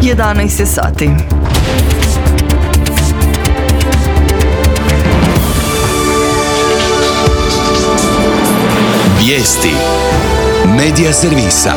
11 je sati. Vijesti Medija servisa.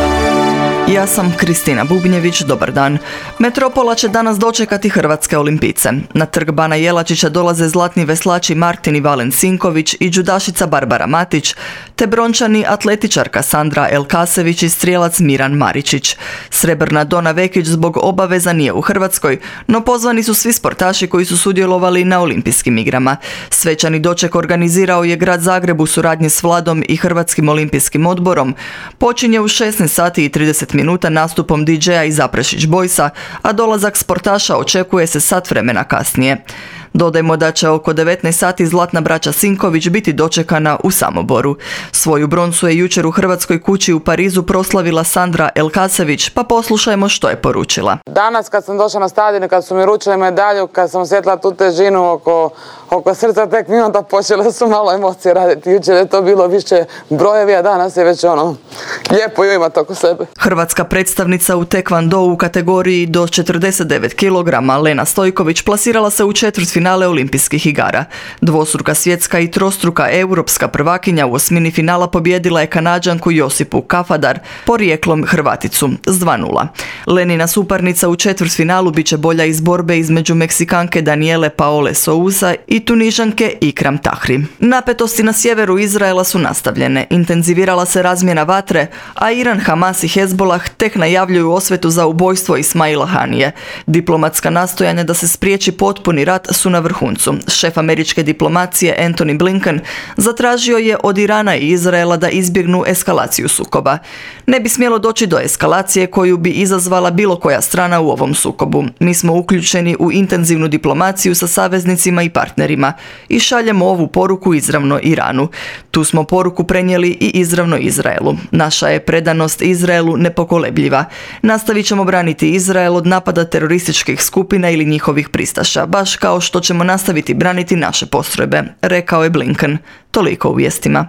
Ja sam Kristina Bubnjević, dobar dan. Metropola će danas dočekati hrvatske olimpijce. Na trg Bana Jelačića dolaze zlatni veslači Martin i Valen Sinković i džudašica Barbara Matić, te brončani atletičarka Sandra Elkasević i strijelac Miran Maričić. Srebrna Dona Vekić zbog obaveza nije u Hrvatskoj, no pozvani su svi sportaši koji su sudjelovali na olimpijskim igrama. Svečani doček organizirao je grad Zagreb u suradnji s Vladom i Hrvatskim olimpijskim odborom. Počinje u 16 sati i 30 minuta nastupom DJ-a i Zaprešić Boysa, a dolazak sportaša očekuje se sat vremena kasnije. Dodajmo da će oko 19 sati zlatna braća Sinković biti dočekana u Samoboru. Svoju broncu je jučer u Hrvatskoj kući u Parizu proslavila Sandra Elkasević, pa poslušajmo što je poručila. Danas kad sam došla na stadion i kad su mi ručili medalju, kad sam osjetila tu težinu oko srca, tek mi onda počele su malo emocije raditi. Jučer je to bilo više brojevi, a danas je već lijepo ju imati oko sebe. Hrvatska predstavnica u tekvandou u kategoriji do 49 kg Lena Stojković plasirala se u četvrtfinale olimpijskih igara. Dvostruka svjetska i trostruka europska prvakinja u osmini finala pobijedila je Kanađanku Josipu Kafadar, porijeklom Hrvaticu, s 2:0. Lenina suparnica u četvrtfinalu bit će bolja iz borbe između Meksikanke Daniele Paole Sousa i Tunižanke Ikram Tahri. Napetosti na sjeveru Izraela su nastavljene, intenzivirala se razmjena vatre, a Iran, Hamas i Hezbollah tek najavljuju osvetu za ubojstvo Ismaila Hanije. Diplomatska nastojanja da se spriječi potpuni rat su na vrhuncu. Šef američke diplomacije Antony Blinken zatražio je od Irana i Izraela da izbjegnu eskalaciju sukoba. Ne bi smjelo doći do eskalacije koju bi izazvala bilo koja strana u ovom sukobu. Mi smo uključeni u intenzivnu diplomaciju sa saveznicima i partnerima i šaljemo ovu poruku izravno Iranu. Tu smo poruku prenijeli i izravno Izraelu. Naša je predanost Izraelu nepokolebljiva. Nastavit ćemo braniti Izrael od napada terorističkih skupina ili njihovih pristaša, baš kao što ćemo nastaviti braniti naše postrojbe, rekao je Blinken. Toliko u vijestima.